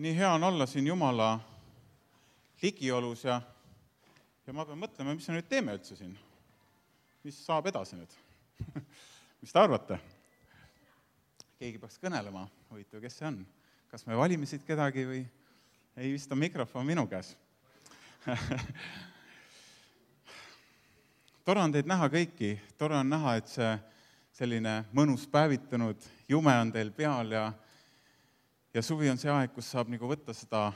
nii hea on olla siin Jumala ligiolus ja ma pean mõtlema, mis me nüüd teeme üldse siin. Mis saab edasi nüüd? Mis te arvate? Keegi peaks kõnelema, huvitav, kes see on? Kas me valime siit kedagi või ei vist on mikrofon minu käes? Tore on teid näha kõiki, tore on näha, et see selline mõnus päevitunud jume on teil peal ja suvi on see aeg, kus saab nagu võtta seda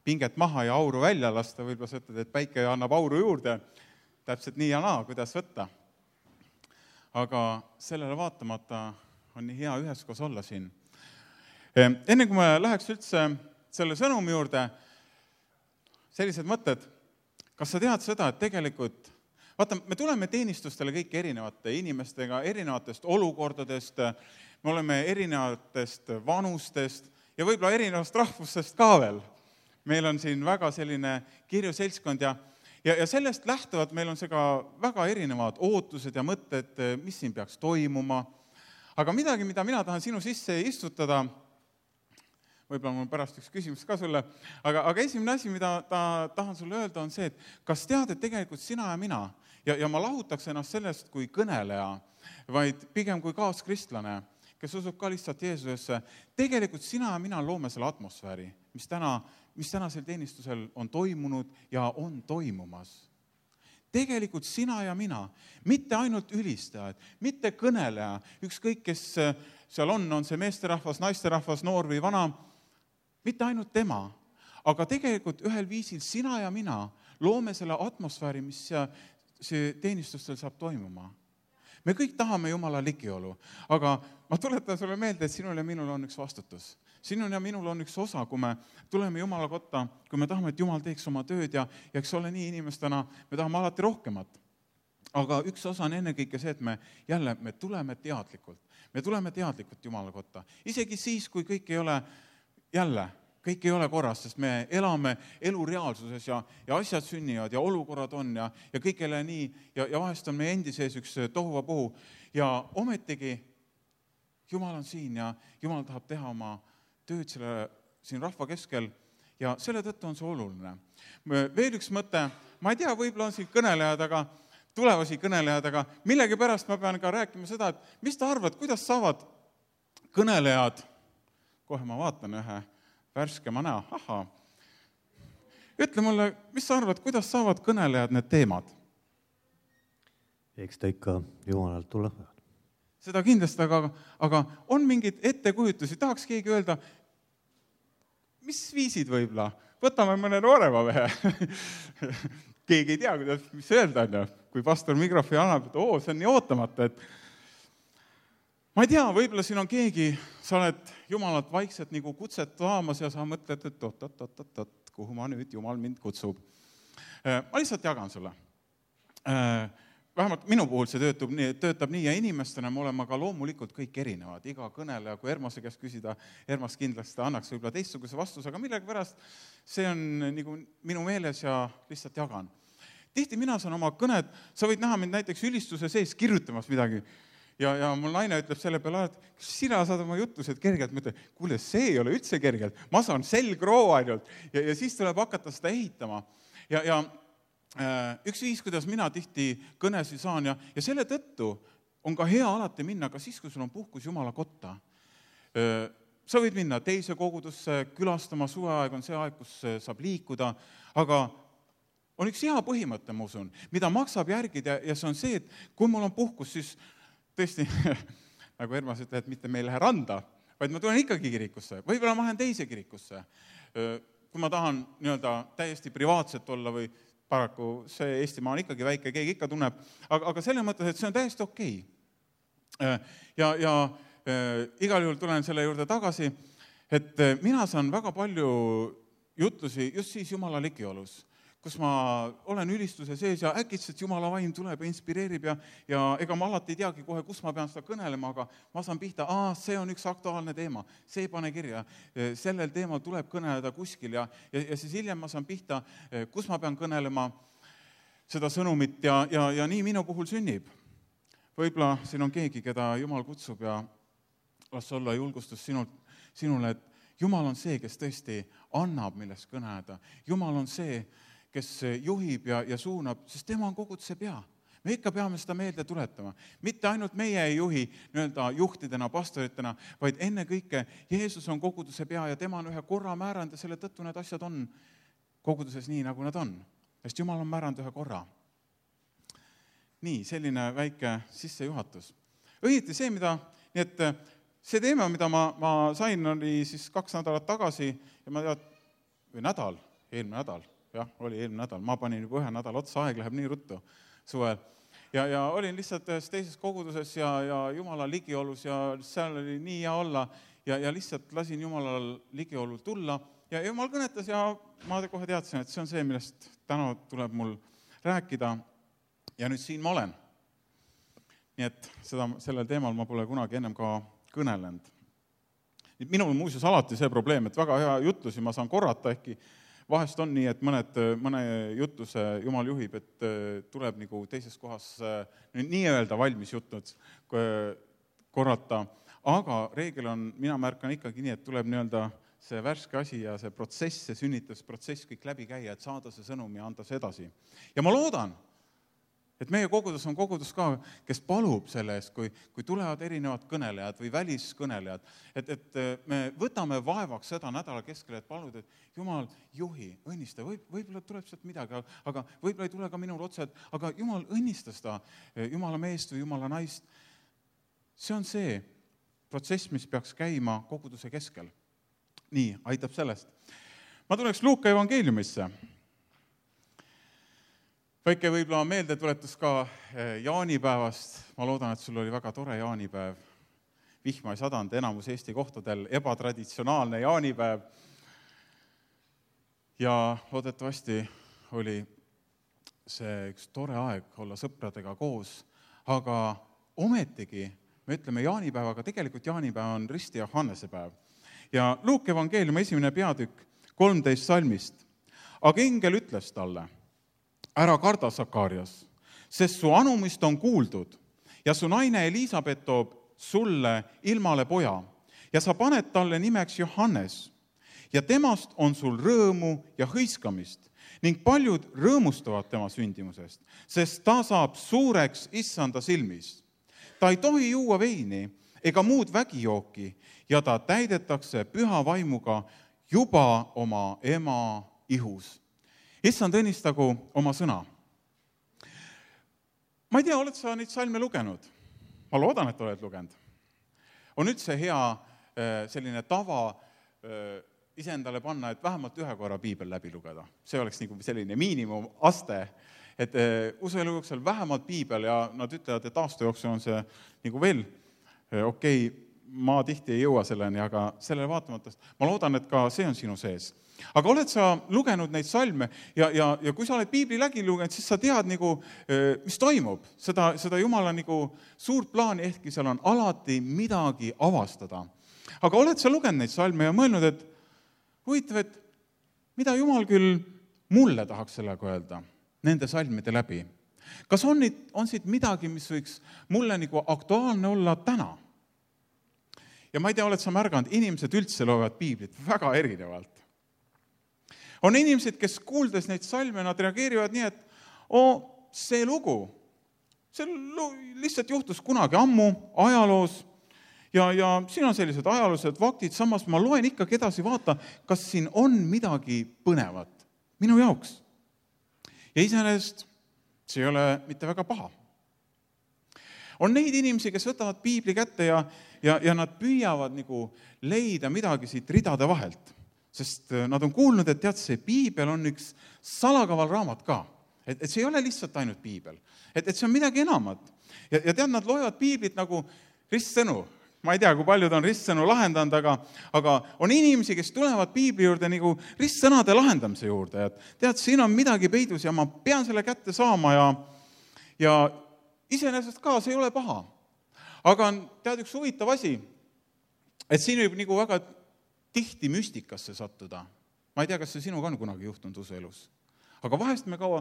pinget maha ja auru välja lasta, võib-olla sa ütled, et päike annab auru juurde, täpselt nii ja naa, kuidas võtta. Aga sellele vaatamata on nii hea üheskoos olla siin. Enne kui me läheks üldse selle sõnumi juurde, sellised mõtted, kas sa tead seda, et tegelikult vaata, me tuleme teenistustele kõik erinevate inimestega, erinevatest olukordadest, me oleme erinevatest vanustest ja võib-olla erinevast rahvustest ka veel. Meil on siin väga selline kirju seltskond ja sellest lähtuvalt meil on see ka väga erinevad ootused ja mõtted, mis siin peaks toimuma. Aga midagi, mida mina tahan sinu sisse istutada, võib-olla mul pärast üks küsimus ka sulle, aga esimene asi, mida tahan sulle öelda, on see, et kas tead, et tegelikult sina ja mina, ja ma lahutaks ennast sellest kui kõneleja, vaid pigem kui kaaskristlane, kes usub ka lihtsalt Jeesusesse, tegelikult sina ja mina loome selle atmosfääri, mis tänasel teenistusel on toimunud ja on toimumas. Tegelikult sina ja mina, mitte ainult ülistajad, mitte kõneleja, ükskõik kes seal on see meesterahvas, naisterahvas, noor või vana, mitte ainult tema, aga tegelikult ühel viisil sina ja mina loome selle atmosfääri, mis see teenistustel saab toimuma. Me kõik tahame Jumala ligiolu, aga ma tuletan sulle meelde, et sinul ja minul on üks vastutus. Sinul ja minul on üks osa, kui me tuleme Jumala kotta, kui me tahame, et Jumal teeks oma tööd ja eks ole nii inimestena, me tahame alati rohkemat. Aga üks osa on ennekõike see, et me tuleme teadlikult. Me tuleme teadlikult Jumala kotta. Isegi siis, kui kõik ei ole korras, sest me elame elu reaalsuses ja asjad sünnivad ja olukorrad on ja kõik ei ole nii ja vahest on meie endi sees üks tohuvapuhu ja ometigi Jumal on siin ja Jumal tahab teha oma tööd siin rahva keskel ja selle tõttu on see oluline. Veel üks mõte, ma ei tea, võib-olla on siin tulevasi kõnelejad, aga millegi pärast ma pean ka rääkima seda, et mis ta arvad, kuidas saavad kõnelejad, kohe ma vaatan ühe värskema näo, ütle mulle, mis sa arvad, kuidas saavad kõnelejad need teemad? Eks ta ikka Jumalalt tuleb. Seda kindlasti, aga on mingid ettekujutusi, tahaks keegi öelda, mis viisid võib-olla? Võtame mõne noorema mehe. Keegi ei tea, mis öelda on, kui pastor mikrofoni annab, et see on nii ootamata, et ma ei tea, võib-olla siin on keegi, sa oled Jumalalt vaikselt nagu kutset taamas ja sa mõtled, et oot, kuhu ma nüüd Jumal mind kutsub. Ma lihtsalt jagan sulle. Vähemalt minu puhul see töötab nii ja inimestena me oleme ka loomulikult kõik erinevad. Iga kõneleja, kui Ermase käest küsida, Ermas kindlasti annaks võib-olla teistsuguse vastuse, aga millegi pärast see on nagu minu meeles ja lihtsalt jagan. Tihti mina saan oma kõned, sa võid näha mind näiteks ülistuse sees kirjutamas midagi ja mul naine ütleb selle peale, et kas sina saad oma jutused kergelt, ma ütlen, kuule, see ei ole üldse kergelt, ma saan selgroo ainult ja siis tuleb hakata seda ehitama ja üks viis, kuidas mina tihti kõnesi saan ja selle tõttu on ka hea alati minna ka siis, kui sul on puhkus Jumala kotta. Sa võid minna teise kogudusse külastama, suveaeg on see aeg, kus saab liikuda, aga on üks hea põhimõte, ma usun, mida maksab järgida ja see on see, et kui mul on puhkus, siis tõesti, nagu Ermas ütleb, et mitte me ei lähe randa, vaid ma tulen ikkagi kirikusse, võib-olla ma lähen teise kirikusse. Kui ma tahan täiesti privaatselt olla või paraku see Eestimaa on ikkagi väike, keegi ikka tunneb, aga selle mõttes, et see on täiesti okei. Ja igal juhul tulen selle juurde tagasi, et mina saan väga palju jutlusi just siis Jumala ligiolus, kus ma olen ülistuse sees ja äkitselt Jumala vaim tuleb ja inspireerib ja ega ma alati ei teagi kohe, kus ma pean seda kõnelema, aga ma saan pihta, see on üks aktuaalne teema, see pane kirja, sellel teemal tuleb kõneleda kuskil ja siis hiljem ma saan pihta, kus ma pean kõnelema seda sõnumit ja nii minu puhul sünnib. Võib-olla siin on keegi, keda Jumal kutsub ja las olla julgustus sinule, et Jumal on see, kes tõesti annab, millest kõneda. Jumal on see, kes juhib ja suunab, sest tema on koguduse pea. Me ikka peame seda meelde tuletama. Mitte ainult meie ei juhi juhtidena, pastoritena, vaid ennekõike Jeesus on koguduse pea ja tema on ühe korra määranud ja selle tõttu need asjad on koguduses nii, nagu nad on. Sest Jumal on määranud ühe korra. Nii, selline väike sissejuhatus. Õieti see, nii et see teema, mida ma sain, oli siis 2 nädalat tagasi ja ma eelmine nädal, oli eelmine nädal, ma panin juba 1 nädal otsa, aeg läheb nii ruttu suvel. Ja olin lihtsalt ühes teises koguduses ja Jumala ligiolus ja seal oli nii hea olla ja lihtsalt lasin Jumalal ligiolul tulla ja Jumal kõnetas ja ma kohe teadsin, et see on see, millest täna tuleb mul rääkida ja nüüd siin ma olen. Nii et sellel teemal ma pole kunagi ennem ka kõnelenud. Minul muuseas alati see probleem, et väga hea jutlusi ma saan korrata, ehkki vahest on nii, et mõne jutluse Jumal juhib, et tuleb nagu teises kohas nii-öelda valmis jutnud korrata, aga reegel on, mina märkan ikkagi nii, et tuleb nii-öelda see värske asi ja see protsess, see sünnitusprotsess kõik läbi käia, et saada see sõnum ja anda see edasi. Ja ma loodan, et meie kogudus on kogudus ka, kes palub selle eest, kui tulevad erinevad kõnelejad või väliskõnelejad, et me võtame vaevaks seda nädala keskel, et palud, et Jumal juhi, õnnista, võib-olla tuleb sealt midagi, aga võib-olla ei tule ka minul otse, aga Jumal õnnista seda Jumala meest või Jumala naist. See on see protsess, mis peaks käima koguduse keskel. Nii, aitab sellest. Ma tuleks Luuka evangeeliumisse. Väike võib-olla meeldetuletus ka jaanipäevast. Ma loodan, et sul oli väga tore jaanipäev. Vihma ei sadanud enamus Eesti kohtadel, ebatraditsionaalne jaanipäev. Ja loodetavasti oli see üks tore aeg olla sõpradega koos, aga ometigi me ütleme jaanipäevaga, tegelikult jaanipäev on Risti Johannese päev. Ja Luuka evangeeliumi 1. peatükk 13 salmist. Aga engel ütles talle, ära karda, Sakarias, sest su anumist on kuuldud ja su naine Elisabet toob sulle ilmale poja ja sa paned talle nimeks Johannes ja temast on sul rõõmu ja hõiskamist ning paljud rõõmustavad tema sündimusest, sest ta saab suureks issanda silmis. Ta ei tohi juua veini ega muud vägijooki ja ta täidetakse püha vaimuga juba oma ema ihus. Issand õnnistagu oma sõna. Ma ei tea, oled sa neid salme lugenud? Ma loodan, et oled lugenud. On üldse hea selline tava iseendale panna, et vähemalt 1 korra piibel läbi lugeda. See oleks nagu selline miinimumaste, et usuelu jooksul vähemalt piibel ja nad ütlevad, et aasta jooksul on see nagu veel okei, ma tihti ei jõua selleni, aga sellele vaatamata, ma loodan, et ka see on sinu sees. Aga oled sa lugenud neid salme ja kui sa oled piibli läbi lugenud, siis sa tead, mis toimub. Seda Jumala suurt plaani, ehkki seal on alati midagi avastada. Aga oled sa lugenud neid salme ja mõelnud, et huvitav, et mida Jumal küll mulle tahaks sellega öelda nende salmide läbi? Kas on siit midagi, mis võiks mulle aktuaalne olla täna? Ja ma ei tea, oled sa märganud, inimesed üldse loevad piiblit väga erinevalt. On inimesed, kes kuuldes neid salme, nad reageerivad nii, et see lugu, see lihtsalt juhtus kunagi ammu ajaloos ja siin on sellised ajaloolised faktid, samas ma loen ikkagi edasi, vaata, kas siin on midagi põnevat minu jaoks. Ja iseenesest see ei ole mitte väga paha. On neid inimesi, kes võtavad piibli kätte ja nad püüavad leida midagi siit ridade vahelt. Sest nad on kuulnud, et tead, see piibel on üks salakaval raamat ka. Et see ei ole lihtsalt ainult piibel. Et see on midagi enamat. Ja tead, nad loevad piiblit nagu ristsõnu. Ma ei tea, kui paljud on ristsõnu lahendanud, aga on inimesi, kes tulevad piibli juurde ristsõnade lahendamise juurde. Et tead, siin on midagi peidus ja ma pean selle kätte saama ja iseenesest ka see ei ole paha. Aga tead, üks huvitav asi, et siin võib väga tihti müstikasse sattuda. Ma ei tea, kas see sinuga on kunagi juhtunud usuelus. Aga vahest me kaua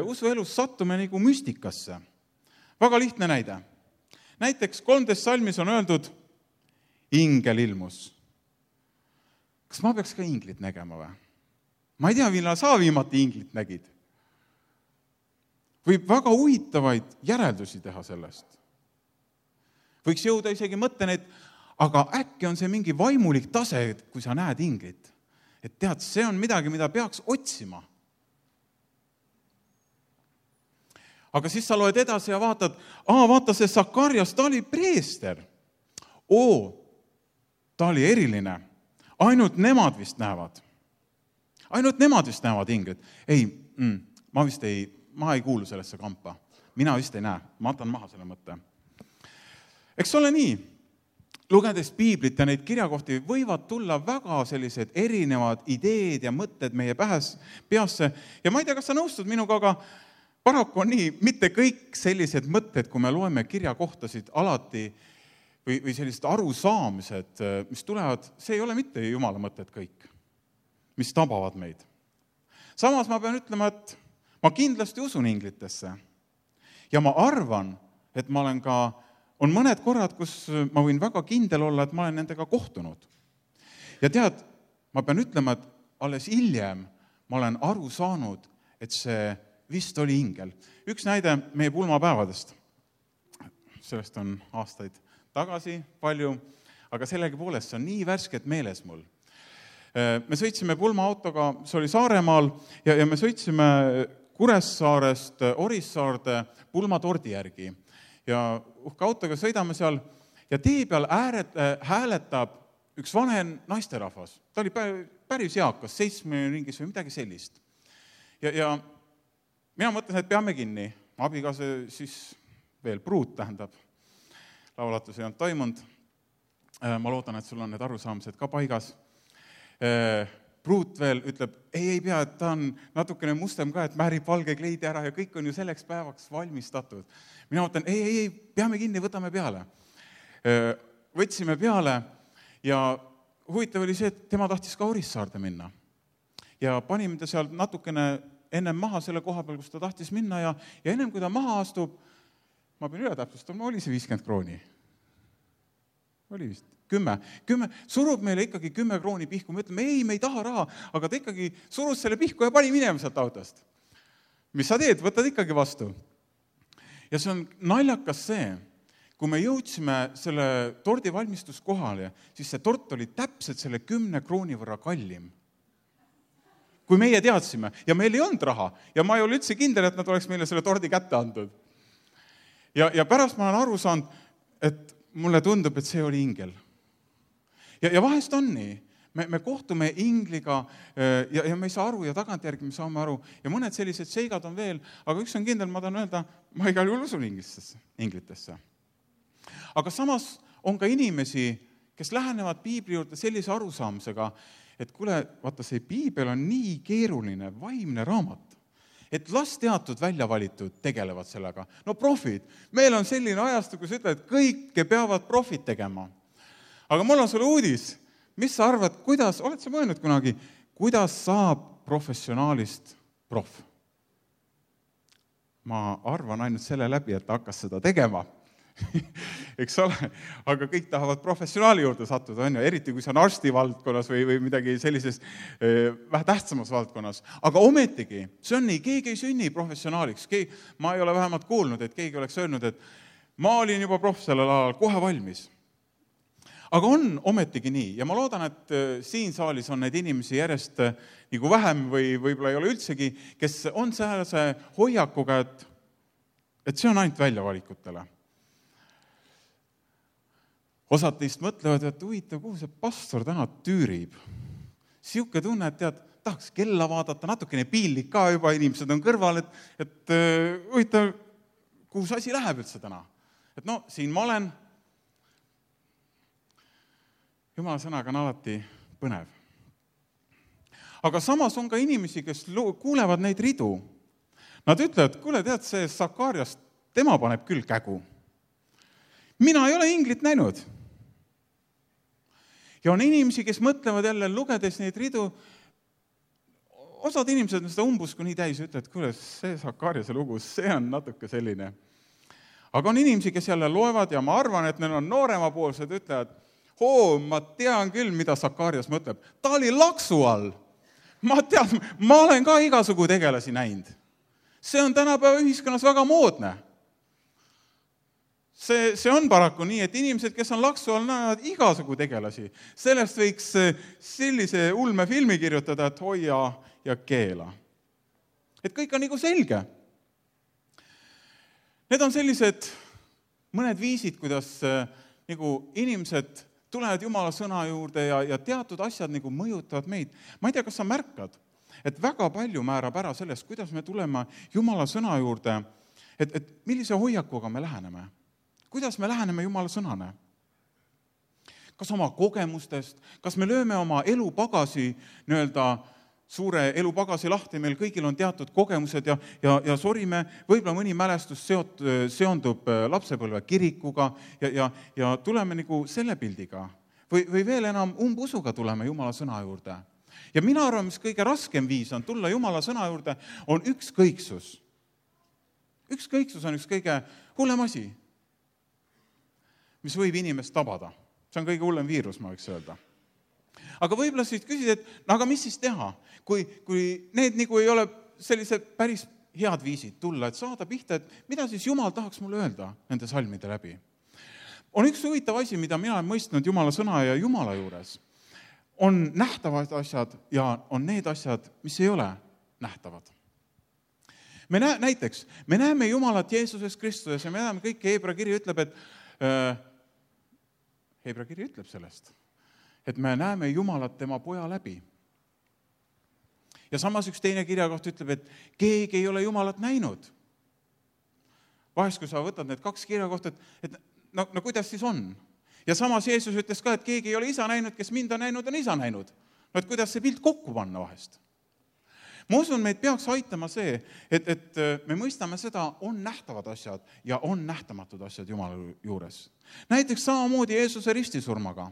usuelus sattume müstikasse. Väga lihtne näide. Näiteks 13 salmis on öeldud, ingel ilmus. kas ma peaks ka inglit nägema või? Ma ei tea, millal sa viimati inglit nägid. Võib väga huvitavaid järeldusi teha sellest. Võiks jõuda isegi mõtteni, et aga äkki on see mingi vaimulik tase, kui sa näed inglit. Et tead, see on midagi, mida peaks otsima. Aga siis sa loed edasi ja vaatad, vaata see Sakarias, ta oli preester. Ta oli eriline. Ainult nemad vist näevad. Ainult nemad vist näevad inglit. Ei, ma ei kuulu sellesse kampa. Mina vist ei näe. Ma atan maha selle mõtte. Eks ole nii, lugedes piiblit ja neid kirjakohti võivad tulla väga sellised erinevad ideed ja mõtted meie peasse. Ja ma ei tea, kas sa nõustud minuga, aga paraku on nii, mitte kõik sellised mõtted, kui me loeme kirjakohtasid alati või sellised arusaamised, mis tulevad, see ei ole mitte Jumala mõtted kõik, mis tabavad meid. Samas ma pean ütlema, et ma kindlasti usun inglitesse. Ja ma arvan, et on mõned korrad, kus ma võin väga kindel olla, et ma olen nendega kohtunud. Ja tead, ma pean ütlema, et alles hiljem ma olen aru saanud, et see vist oli ingel. Üks näide meie pulmapäevadest. Sellest on aastaid tagasi palju, aga sellegipoolest see on nii värskelt meeles mul. Me sõitsime pulmaautoga, see oli Saaremaal, ja me sõitsime Kuressaarest Orissaarde pulmatordi järgi. Ja uhke autoga sõidame seal ja tee peal hääletab üks vanem naisterahvas. Ta oli päris eakas, 70 ringis või midagi sellist. Ja mina mõtlesin, et peame kinni. Abikaasa siis veel pruut tähendab. Laulatus ei olnud toimunud. Ma loodan, et sul on need arusaamised ka paigas. Pruut veel ütleb, ei pea, et ta on natukene mustem ka, et määrib valge kleidi ära ja kõik on ju selleks päevaks valmistatud. Mina mõtlen, ei, peame kinni, võtame peale. Võtsime peale ja huvitav oli see, et tema tahtis ka Orissaarde minna. Ja panime ta seal natukene ennem maha selle koha peal, kus ta tahtis minna ja ennem kui ta maha astub, ma pean üle täpsustama, oli see 50 krooni? Oli vist 10. Surub meile ikkagi 10 krooni pihku. Me ütleme, ei, me ei taha raha, aga ta ikkagi surus selle pihku ja pani minema sealt autost. Mis sa teed? Võtad ikkagi vastu. Ja see on naljakas see, kui me jõudsime selle tordi valmistuskohale, siis see tort oli täpselt selle 10 krooni võrra kallim. Kui meie teadsime, ja meil ei olnud raha, ja ma ei ole üldse kindel, et nad oleks meile selle tordi kätte andnud. Ja pärast ma olen aru saanud, et mulle tundub, et see oli ingel. Ja vahest on nii. Me kohtume ingliga ja me ei saa aru ja tagantjärgi me saame aru. Ja mõned sellised seigad on veel, aga üks on kindel, ma tahan öelda, ma igal juhul usun inglitesse. Aga samas on ka inimesi, kes lähenevad piibli juurde sellise arusaamisega, et kuule, vaata see piibel on nii keeruline, vaimne raamat, et las teatud välja valitud tegelevad sellega. No profid, meil on selline ajastu, kus ütled, et kõike peavad profid tegema. Aga mul on sulle uudis, mis sa arvad, oled sa mõelnud kunagi, kuidas saab professionaalist prof? Ma arvan ainult selle läbi, et ta hakkas seda tegema. Eks ole, aga kõik tahavad professionaali juurde sattuda, on ju, eriti kui see on arsti valdkonnas või midagi sellises vähe tähtsamas valdkonnas. Aga ometigi, see on nii, keegi ei sünni professionaaliks. Ma ei ole vähemalt kuulnud, et keegi oleks öelnud, et ma olin juba prof sellel alal kohe valmis. Aga on ometigi nii ja ma loodan, et siin saalis on neid inimesi järjest nagu vähem või võib-olla ei ole üldsegi, kes on sellise hoiakuga, et see on ainult väljavalikutele. Osad teist mõtlevad, et huvitav, kuhu see pastor täna tüürib. Siuke tunne, et tead, tahaks kella vaadata, natukene piinlik ka juba, inimesed on kõrval, et huvitav, kuhu see asi läheb üldse täna. Et no, siin ma olen. Jumala sõnaga on alati põnev. Aga samas on ka inimesi, kes kuulevad neid ridu. Nad ütlevad, kuule, tead, see Sakarias, tema paneb küll kägu. Mina ei ole inglit näinud. Ja on inimesi, kes mõtlevad jälle, lugedes neid ridu, osad inimesed on seda umbusku nii täis ja ütlevad, kuule, see Sakariase lugu, see on natuke selline. Aga on inimesi, kes jälle loevad ja ma arvan, et neil on nooremapoolsed, ütlevad, ma tean küll, mida Sakarias mõtleb. Ta oli laksu all. Ma olen ka igasugu tegelasi näinud. See on tänapäeva ühiskonnas väga moodne. See on paraku nii, et inimesed, kes on laksu all, näevad igasugu tegelasi. Sellest võiks sellise ulmefilmi kirjutada, et hoia ja keela. Et kõik on nagu selge. Need on sellised mõned viisid, kuidas nagu inimesed tulevad Jumala sõna juurde ja teatud asjad nagu mõjutavad meid. Ma ei tea, kas sa märkad, et väga palju määrab ära sellest, kuidas me tuleme Jumala sõna juurde, et millise hoiakuga me läheneme. Kuidas me läheneme Jumala sõnane? Kas oma kogemustest, kas me lööme oma elupagasi, suure elupagasi lahti, meil kõigil on teatud kogemused ja sorime, võib-olla mõni mälestus seondub lapsepõlve kirikuga ja tuleme nagu selle pildiga. Või veel enam umbusuga tuleme Jumala sõna juurde. Ja mina arvan, mis kõige raskem viis on tulla Jumala sõna juurde, on ükskõiksus. Ükskõiksus on üks kõige hullem asi, mis võib inimest tabada. See on kõige hullem viirus, ma võiks öelda. Aga võib-olla siis küsid, et aga mis siis teha, kui need nagu ei ole sellised päris head viisid tulla, et saada pihta, et mida siis Jumal tahaks mulle öelda nende salmide läbi. On üks huvitav asi, mida mina olen mõistnud Jumala sõna ja Jumala juures. On nähtavad asjad ja on need asjad, mis ei ole nähtavad. Näiteks, me näeme Jumalat Jeesuses Kristuses ja me näeme kõik, Heebra kiri ütleb, Heebra kiri ütleb sellest, et me näeme Jumalat tema poja läbi. Ja samas üks teine kirjakoht ütleb, et keegi ei ole Jumalat näinud. Vahest, kui sa võtad need kaks kirjakohta, et no kuidas siis on? Ja samas Jeesus ütles ka, et keegi ei ole isa näinud, kes mind on näinud, on isa näinud. No et kuidas see pilt kokku panna vahest? Ma usun, meid peaks aitama see, et me mõistame seda, on nähtavad asjad ja on nähtamatud asjad Jumala juures. Näiteks samamoodi Jeesuse ristisurmaga.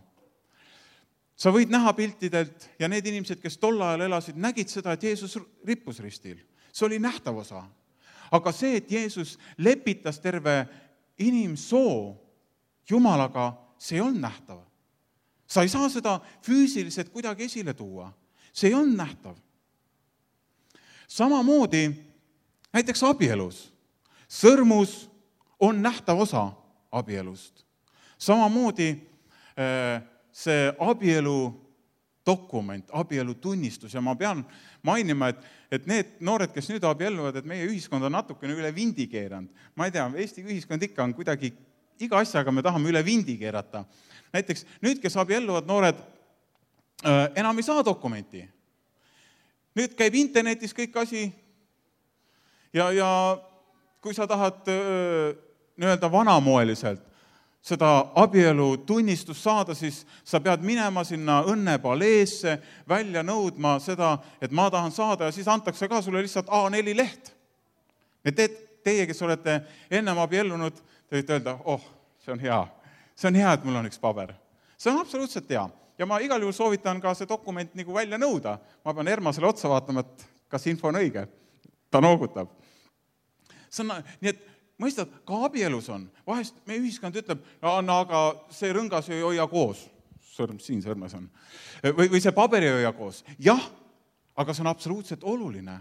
Sa võid näha piltidelt ja need inimesed, kes tol ajal elasid, nägid seda, et Jeesus rippus ristil. See oli nähtav osa. Aga see, et Jeesus lepitas terve inimsoo Jumalaga, see on nähtav. Sa ei saa seda füüsiliselt kuidagi esile tuua. See on nähtav. Samamoodi näiteks abielus. Sõrmus on nähtav osa abielust. Samamoodi see abielu dokument, abielu tunnistus ja ma pean mainima, et need noored, kes nüüd abielluvad, et meie ühiskond on natukene üle vindi keeranud. Ma ei tea, Eesti ühiskond ikka on kuidagi, iga asjaga me tahame üle vindi keerata. Näiteks nüüd, kes abielluvad noored, enam ei saa dokumenti. Nüüd käib internetis kõik asi ja kui sa tahad vanamoeliselt seda abielu tunnistust saada, siis sa pead minema sinna õnnepaleesse, välja nõudma seda, et ma tahan saada ja siis antakse ka sulle lihtsalt A4 leht. Teie, kes olete ennem abiellunud, te võite öelda, see on hea. See on hea, et mul on üks paber. See on absoluutselt hea. Ja ma igal juhul soovitan ka see dokument nagu välja nõuda. Ma pean Ermasele otsa vaatama, et kas info on õige. Ta noogutab. Nii et mõistad, ka abielus on. Vahest meie ühiskond ütleb, aga see rõngas ei hoia koos. Sõrm siin sõrmes on. Või see paber ei hoia koos. Jah, aga see on absoluutselt oluline.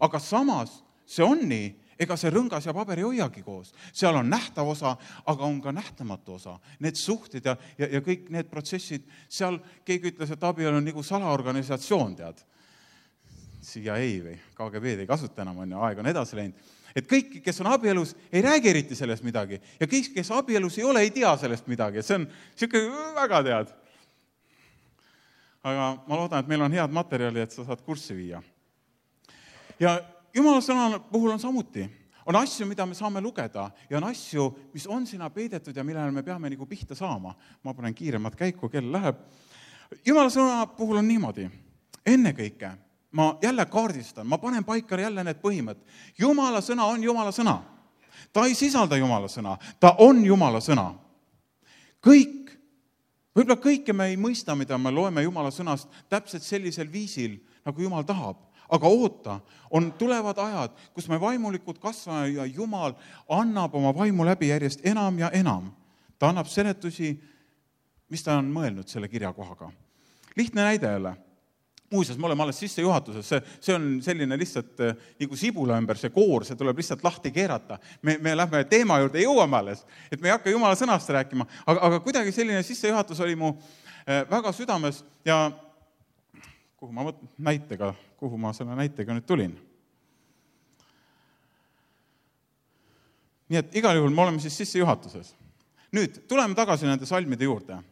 Aga samas see on nii, ega see rõngas ja paber ei hoiagi koos. Seal on nähtav osa, aga on ka nähtamatu osa. Need suhted ja kõik need protsessid, seal keegi ütles, et abielu on nagu salaorganisatsioon, tead. CIA või KGB ei kasuta enam, aeg on edasi läinud. Et kõik, kes on abielus, ei räägi eriti sellest midagi. Ja kõik, kes abielus ei ole, ei tea sellest midagi. See on selline väga tead. Aga ma loodan, et meil on head materjali, et sa saad kurssi viia. Ja Jumala sõna puhul on samuti. On asju, mida me saame lugeda ja on asju, mis on sinna peidetud ja millele me peame nagu pihta saama. Ma panen kiiremat käiku, kell läheb. Jumala sõna puhul on niimoodi. Ennekõike ma jälle kaardistan, ma panen paika jälle need põhimõtted. Jumala sõna on Jumala sõna. Ta ei sisalda Jumala sõna, ta on Jumala sõna. Võib-olla kõike me ei mõista, mida me loeme Jumala sõnast täpselt sellisel viisil, nagu Jumal tahab. Aga oota, tulevad ajad, kus me vaimulikud kasvame ja Jumal annab oma vaimu läbi järjest enam ja enam. Ta annab seletusi, mis ta on mõelnud selle kirjakohaga. Lihtne näide jälle. Muuseas, me oleme alles sissejuhatuses, see on selline lihtsalt nagu sibula ümber, see koor, see tuleb lihtsalt lahti keerata. Me lähme teema juurde, jõuame alles, et me ei hakka Jumala sõnast rääkima, aga kuidagi selline sissejuhatus oli mu väga südames ja kuhu ma selle näitega nüüd tulin. Nii et igal juhul me oleme siis sissejuhatuses. Nüüd, tuleme tagasi nende salmide juurde.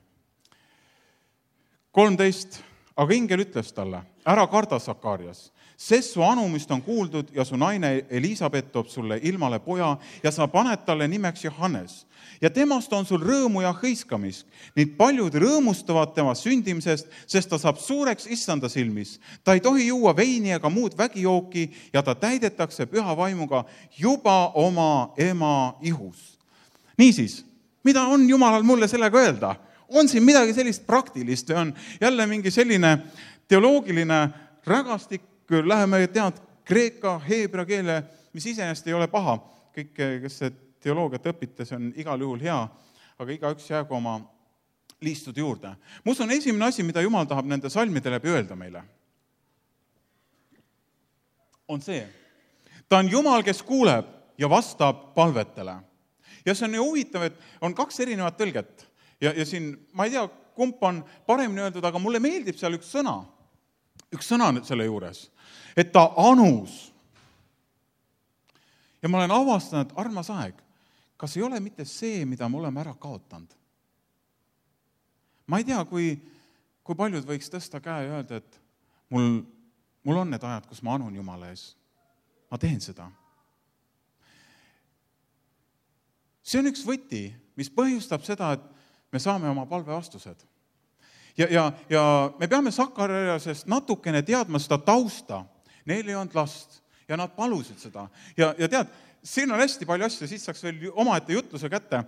13. Aga ingel ütles talle, ära karda, Sakarias, sest su anumist on kuuldud ja su naine Elisabet toob sulle ilmale poja ja sa paned talle nimeks Johannes. Ja temast on sul rõõmu ja hõiskamisk. Nii paljud rõõmustavad tema sündimisest, sest ta saab suureks issanda silmis. Ta ei tohi juua veini ega muud vägijooki ja ta täidetakse püha vaimuga juba oma ema ihus. Niisiis, mida on Jumalal mulle sellega öelda? On siin midagi sellist praktilist või on jälle mingi selline teoloogiline rägastik, läheme kreeka, heebra keele, mis iseenesest ei ole paha. Kõik, kes teoloogiat õpite, see on igal juhul hea, aga igaüks jäägu oma liistude juurde. Mus on esimene asi, mida Jumal tahab nende salmide läbi öelda meile. On see. Ta on Jumal, kes kuuleb ja vastab palvetele. Ja see on ju huvitav, et on 2 erinevat tõlget. Ja siin, ma ei tea, kump on paremini öeldud, aga mulle meeldib seal üks sõna selle juures, et ta anus. Ja ma olen avastanud, armas aeg, kas ei ole mitte see, mida me oleme ära kaotanud? Ma ei tea, kui paljud võiks tõsta käe ja öelda, et mul on need ajad, kus ma anun Jumala ees. Ma teen seda. See on üks võti, mis põhjustab seda, et me saame oma palve vastused. Ja me peame Sakariasest natukene teadma seda tausta. Neil ei olnud last ja nad palusid seda. Ja tead, siin on hästi palju asju, siis saaks veel omaette jutluse kätte,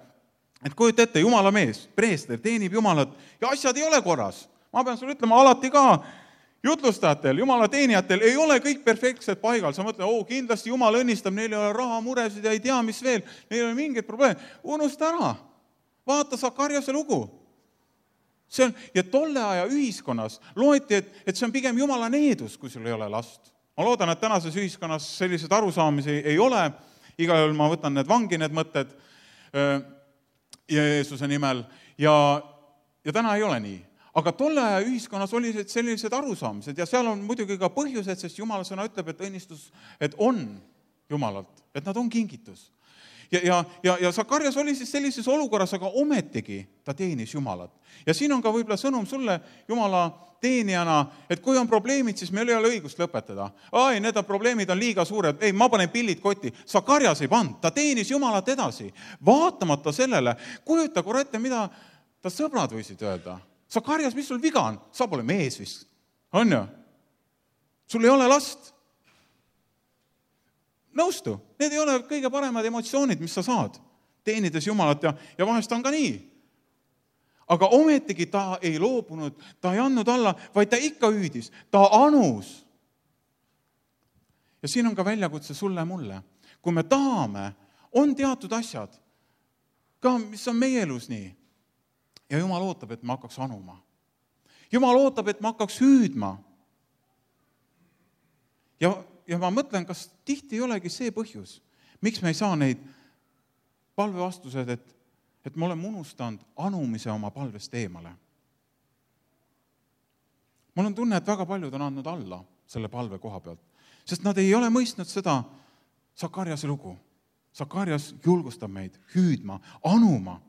et kujuta ette, Jumala mees, preester, teenib Jumalat ja asjad ei ole korras. Ma pean sulle ütlema, alati ka jutlustajatel, Jumala teenijatel ei ole kõik perfektsed paigal. Sa mõtled, kindlasti Jumal õnnistab, neil ei ole raha, muresid ja ei tea, mis veel, neil ei ole mingid probleeme. Unusta ära. Vaata Sakariase lugu. Ja tolle aja ühiskonnas loeti, et see on pigem Jumala needus, kui sul ei ole last. Ma loodan, et tänases ühiskonnas sellised arusaamisi ei ole. Igal juhul ma võtan need vangi, need mõtted Jeesuse nimel. Ja täna ei ole nii. Aga tolle aja ühiskonnas oli sellised arusaamised ja seal on muidugi ka põhjused, sest Jumala sõna ütleb, et õnnistus, et on Jumalalt, et nad on kingitus. Ja Sakarias oli siis sellises olukorras, aga ometigi ta teenis Jumalat. Ja siin on ka võib-olla sõnum sulle Jumala teenijana, et kui on probleemid, siis meil ei ole õigust lõpetada. Need probleemid on liiga suured, ma panen pillid kotti. Sakarias ei pannud, ta teenis Jumalat edasi. Vaatamata sellele, kujuta korra ette, mida ta sõbrad võisid öelda. Sakarias, mis sul viga on? Sa pole mees vist. On ju? Sul ei ole last. Nõustu, need ei ole kõige paremad emotsioonid, mis sa saad, teenides Jumalat ja vahest on ka nii. Aga ometigi ta ei loobunud, ta ei andnud alla, vaid ta ikka hüüdis, ta anus. Ja siin on ka väljakutse sulle mulle. Kui me tahame, on teatud asjad, ka mis on meie elus nii. Ja Jumal ootab, et ma hakkaks anuma. Jumal ootab, et ma hakkaks hüüdma. Ja ma mõtlen, kas tihti ei olegi see põhjus, miks me ei saa neid palvevastused, et me oleme unustanud anumise oma palvest eemale. Mul on tunne, et väga paljud on andnud alla selle palve koha pealt, sest nad ei ole mõistnud seda Sakariase lugu. Sakarias julgustab meid hüüdma, anuma.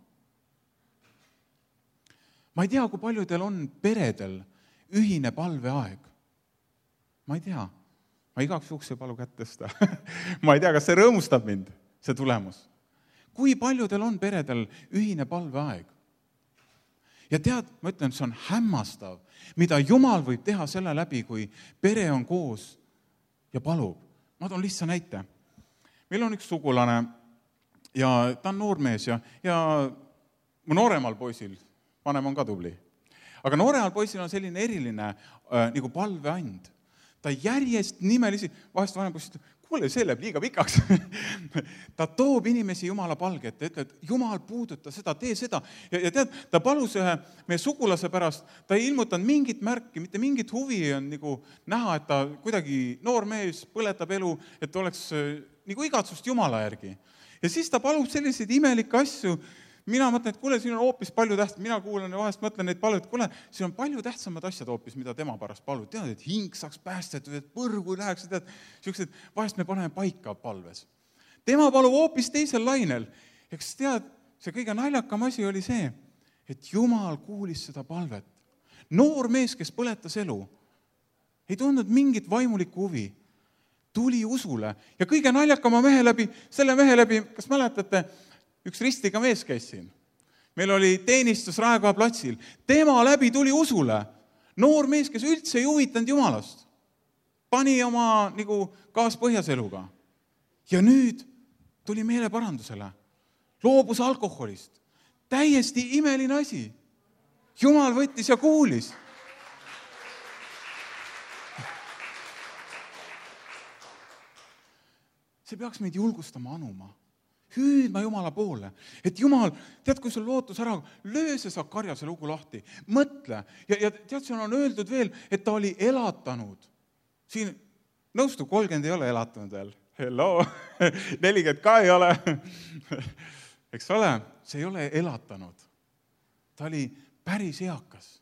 Ma ei tea, kui paljudel on peredel ühine palveaeg. Ma ei tea. Ma igaks juhuks ei palu kätt tõsta. Ma ei tea, kas see rõõmustab mind, see tulemus. Kui paljudel on peredel ühine palveaeg? Ja tead, ma ütlen, see on hämmastav, mida Jumal võib teha selle läbi, kui pere on koos ja palub. Ma toon lihtsa näite. Meil on üks sugulane ja ta on noormees ja mu nooremal poisil, vanem on ka tubli, aga nooremal poisil on selline eriline nagu palveand. Ta järjest nimelisi, vahest vanem poiss ütleb, kuule, see läheb liiga pikaks. Ta toob inimesi Jumala palge ette, ütleb, et Jumal, puuduta seda, tee seda. Ja tead, ta palus ühe meie sugulase pärast, ta ei ilmutanud mingit märki, mitte mingit huvi on nagu näha, et ta kuidagi noor mees põletab elu, et oleks nagu igatsust Jumala järgi. Ja siis ta palub selliseid imelikke asju. Mina mõtlen, et kuule, siin on hoopis palju tähtsam, mina kuulan ja vahest mõtlen neid palud, et kuule, siin on palju tähtsamad asjad hoopis, mida tema pärast palud. Tead, et hing saaks päästetud, et põrgu läheks, tead, siuksed, vahest me paneme paika palves. Tema palub hoopis teisel lainel. Eks tead, see kõige naljakam asi oli see, et Jumal kuulis seda palvet. Noor mees, kes põletas elu, ei tundnud mingit vaimulikku huvi, tuli usule ja kõige naljakama selle mehe läbi, kas mäletate, üks ristiga mees käis siin. Meil oli teenistus Raekoja platsil. Tema läbi tuli usule. Noor mees, kes üldse ei huvitanud Jumalast. Pani oma nagu kaaspõhjas eluga. Ja nüüd tuli meeleparandusele. Loobus alkoholist. Täiesti imeline asi. Jumal võttis ja kuulis. See peaks meid julgustama anuma. Hüüdma Jumala poole, et Jumal, tead, kui sul lootus ära, löö see Sakarjase lugu lahti, mõtle. Ja tead, siin on öeldud veel, et ta oli elatanud. Siin nõustu 30 ei ole elatanud veel. Hello, 40 ka ei ole. Eks ole, see ei ole elatanud. Ta oli päris eakas.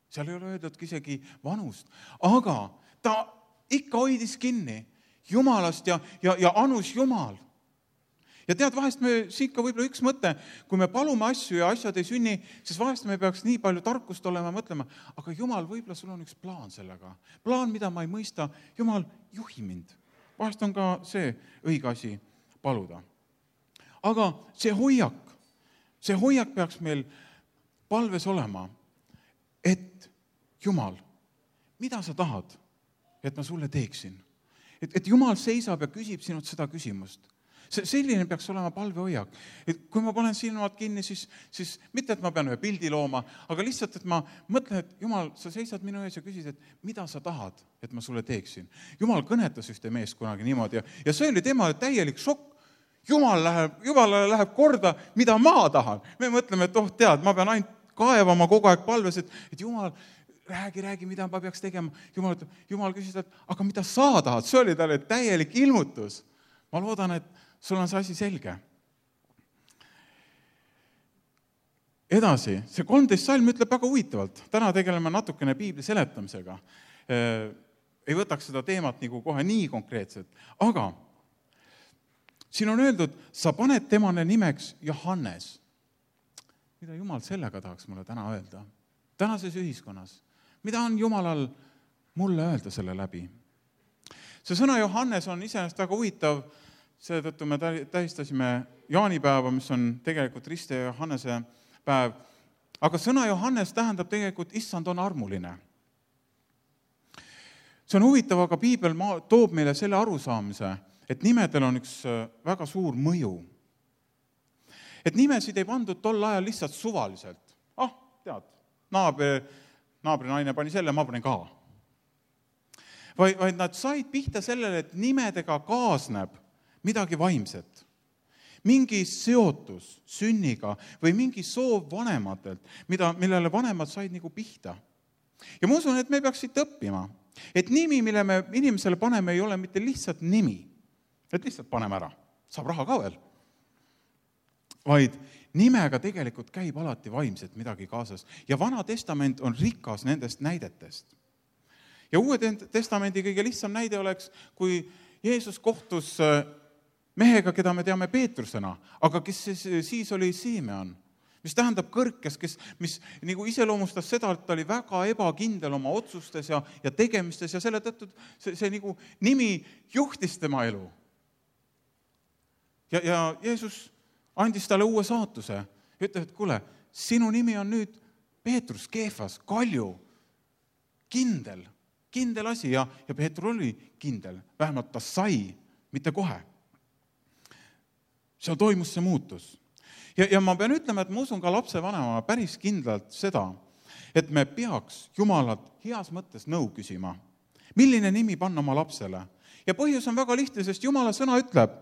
Seal ei ole öeldudki isegi vanust. Aga ta ikka hoidis kinni Jumalast ja anus Jumal. Ja tead, vahest me siit ka võib-olla üks mõte, kui me palume asju ja asjad ei sünni, siis vahest me peaks nii palju tarkust olema mõtlema, aga Jumal, võib-olla sul on üks plaan sellega. Plaan, mida ma ei mõista, Jumal, juhi mind. Vahest on ka see õige asi paluda. Aga see hoiak peaks meil palves olema, et Jumal, mida sa tahad, et ma sulle teeksin? Et Jumal seisab ja küsib sinult seda küsimust. Selline peaks olema palvehoiak. Et kui ma panen silmad kinni, siis mitte, et ma pean ühe pildi looma, aga lihtsalt, et ma mõtlen, et Jumal, sa seisad minu ees ja küsid, et mida sa tahad, et ma sulle teeksin. Jumal kõnetas ühte meest kunagi niimoodi ja see oli tema täielik šokk. Jumalale läheb korda, mida ma tahan. Me mõtleme, et tead, ma pean ainult kaevama kogu aeg palves, et Jumal, räägi, mida ma peaks tegema. Jumal küsis, et aga mida sa tahad? See oli talle täielik ilmutus. Ma loodan, et sul on see asi selge. Edasi, see 13 salm ütleb väga huvitavalt. Täna tegeleme natukene piibli seletamisega. Ei võtaks seda teemat nagu kohe nii konkreetselt. Aga siin on öeldud, sa paned temane nimeks Johannes. Mida Jumal sellega tahaks mulle täna öelda? Tänases ühiskonnas. Mida on Jumalal mulle öelda selle läbi? See sõna Johannes on iseenesest väga huvitav. Seetõttu me tähistasime jaanipäeva, mis on tegelikult Riste ja Johannese päev. Aga sõna Johannes tähendab tegelikult, issand on armuline. See on huvitav, aga piibel toob meile selle arusaamise, et nimedel on üks väga suur mõju. Et nimesid ei pandud tol ajal lihtsalt suvaliselt. Tead, naabri naine pani selle, ma panin ka. Vaid nad said pihta sellele, et nimedega kaasneb midagi vaimset, mingi seotus sünniga või mingi soov vanematelt, millele vanemad said nagu pihta. Ja ma usun, et me peaks siit õppima, et nimi, mille me inimesele paneme, ei ole mitte lihtsalt nimi, et lihtsalt paneme ära, saab raha ka veel, vaid nimega tegelikult käib alati vaimset midagi kaasas. Ja Vana Testament on rikas nendest näidetest. Ja Uue Testamendi kõige lihtsam näide oleks, kui Jeesus kohtus mehega, keda me teame Peetrusena, aga kes siis oli Simeon, mis tähendab kõrkes, mis nagu iseloomustas seda, et ta oli väga ebakindel oma otsustes ja tegemistes ja selle tõttu see nagu nimi juhtis tema elu. Ja Jeesus andis talle uue saatuse. Ütleb, et kuule, sinu nimi on nüüd Peetrus, Keefas, Kalju, kindel asi ja Peetrus oli kindel, vähemalt ta sai, mitte kohe. Seal toimus see muutus. Ja ma pean ütlema, et ma usun ka lapsevanemana päris kindlalt seda, et me peaks Jumalat heas mõttes nõu küsima. Milline nimi panna oma lapsele? Ja põhjus on väga lihtne, sest Jumala sõna ütleb,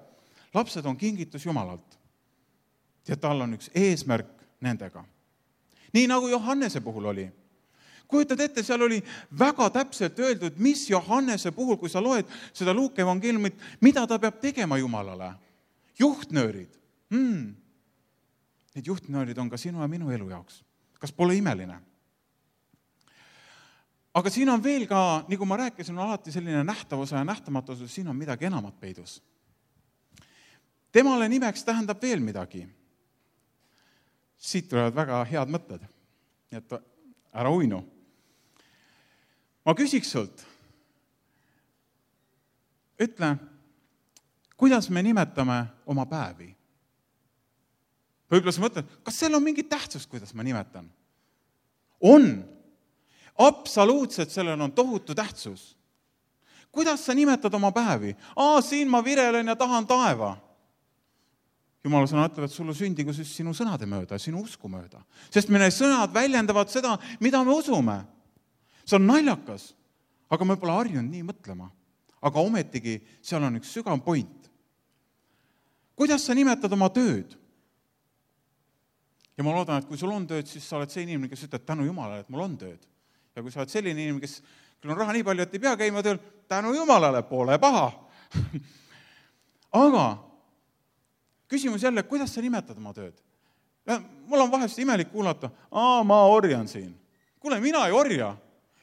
lapsed on kingitus Jumalalt. Ja tal on üks eesmärk nendega. Nii nagu Johannese puhul oli. Kujutad ette, seal oli väga täpselt öeldud, mis Johannese puhul, kui sa loed seda Luuke evangeeliumit, mida ta peab tegema Jumalale. Juhtnöörid. Need juhtnöörid on ka sinu ja minu elu jaoks. Kas pole imeline? Aga siin on veel ka, nagu ma rääkisin, on alati selline nähtavuse ja nähtamatusus, siin on midagi enamat peidus. Temale nimeks tähendab veel midagi. Siit tulevad väga head mõtted, et ära uinu. Ma küsiks sult, ütle, kuidas me nimetame oma päevi? Võib-olla sa mõtled, kas seal on mingi tähtsus, kuidas ma nimetan? On. Absoluutselt sellel on tohutu tähtsus. Kuidas sa nimetad oma päevi? Siin ma virelen ja tahan taeva. Jumala sõna ütleb, et sulle sündigu siis sinu sõnade mööda, sinu usku mööda. Sest meie sõnad väljendavad seda, mida me usume. See on naljakas, aga me pole harjunud nii mõtlema. Aga ometigi seal on üks sügav point. Kuidas sa nimetad oma tööd? Ja ma loodan, et kui sul on tööd, siis sa oled see inimene, kes ütleb tänu Jumalale, et mul on tööd. Ja kui sa oled selline inimene, kes küll on raha nii palju, et ei pea käima tööl, tänu Jumalale, pole paha. Aga küsimus jälle, kuidas sa nimetad oma tööd? Mul on vahest imelik kuulata, ma orjan siin. Kuule, mina ei orja.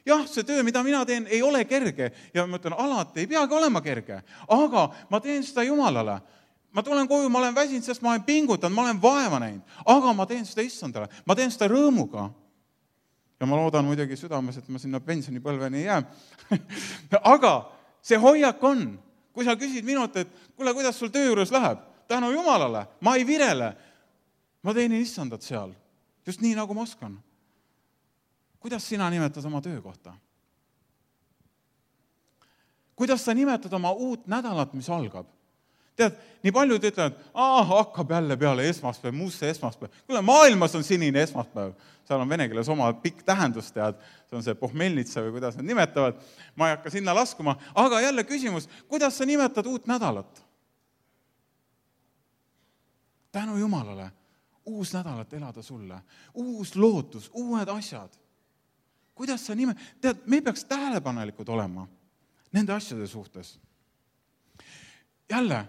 Jah, see töö, mida mina teen, ei ole kerge. Ja ma ütlen, alati ei peagi olema kerge. Aga ma teen seda Jumalale. Ma tulen koju, ma olen väsinud, sest ma olen pingutanud, ma olen vaeva näinud. Aga ma teen seda Issandale. Ma teen seda rõõmuga. Ja ma loodan muidugi südames, et ma sinna pensionipõlveni ei jää. Aga see hoiak on. Kui sa küsid minult, et kuule, kuidas sul töö juures läheb? Tänu Jumalale, ma ei virele. Ma teenin Issandat seal. Just nii, nagu ma oskan. Kuidas sina nimetad oma töökohta? Kuidas sa nimetad oma uut nädalat, mis algab? Tead, nii paljud ütlevad, hakkab jälle peale esmaspäev, muusse esmaspäev. Kuule, maailmas on sinine esmaspäev. Seal on vene keeles oma pikk tähendus, tead. See on see pohmelnitsa või kuidas nad nimetavad. Ma ei hakka sinna laskuma. Aga jälle küsimus, kuidas sa nimetad uut nädalat? Tänu Jumalale, uus nädalat elada sulle, uus lootus, uued asjad. Kuidas sa tead, me peaks tähelepanelikud olema nende asjade suhtes. Jälle,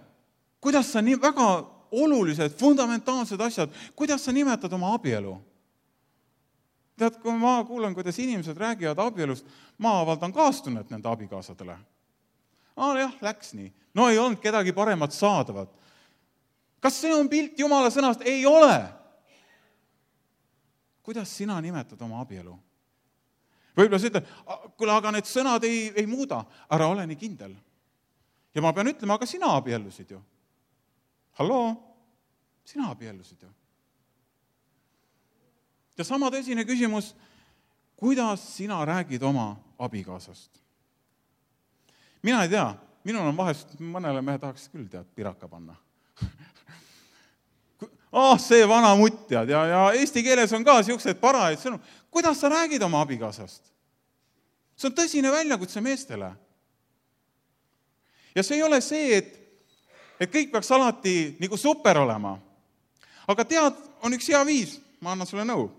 kuidas sa väga olulised, fundamentaalsed asjad, kuidas sa nimetad oma abielu? Tead, kui ma kuulen, kuidas inimesed räägivad abielust, ma avaldan kaastunnet nende abikaasadele. Jah, läks nii. No ei olnud kedagi paremat saadavat. Kas see on pilt Jumala sõnast? Ei ole. Kuidas sina nimetad oma abielu? Võib-olla sa ütled, kuule, aga need sõnad ei muuda. Ära ole nii kindel. Ja ma pean ütlema, aga sina abiellusid ju. Halloo? Sina abiellusid ju. Ja sama tõsine küsimus, kuidas sina räägid oma abikaasast? Mina ei tea. Minul on vahest, mõnele mehe tahaks küll piraka panna. See vana mutt, tead, ja eesti keeles on ka siuksed parajaid sõnu. Kuidas sa räägid oma abikaasast? See on tõsine väljakutse meestele. Ja see ei ole see, et kõik peaks alati nagu super olema. Aga tead, on üks hea viis, ma annan sulle nõu.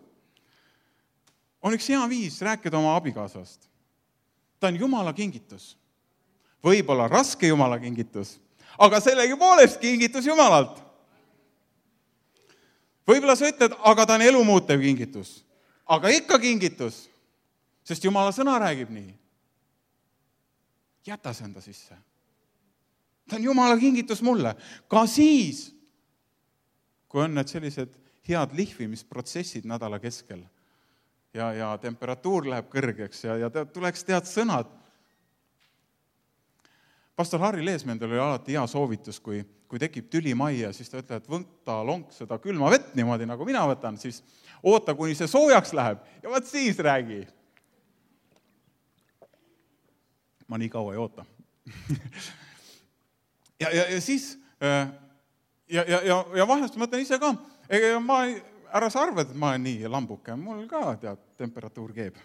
On üks hea viis rääkida oma abikaasast. Ta on Jumala kingitus. Võib-olla raske Jumala kingitus, aga sellegipoolest kingitus Jumalalt. Võib-olla sa ütled, aga ta on elumuutev kingitus. Aga ikka kingitus, sest Jumala sõna räägib nii. Jäta see enda sisse. Ta on Jumala kingitus mulle. Ka siis, kui on need sellised head lihvimisprotsessid nädala keskel ja temperatuur läheb kõrgeks ja tuleks tead sõnad. Pastor Harri Leesmendel oli alati hea soovitus, kui tekib tüli majja, siis ta ütleb, et võtta lonk seda külma vett niimoodi, nagu mina võtan, siis oota, kuni see soojaks läheb ja vaat siis räägi. Ma nii kaua ei oota. ja siis, ja vahest mõtlen ise ka, ära sa arvad, et ma olen nii lambuke, mul ka temperatuur keeb.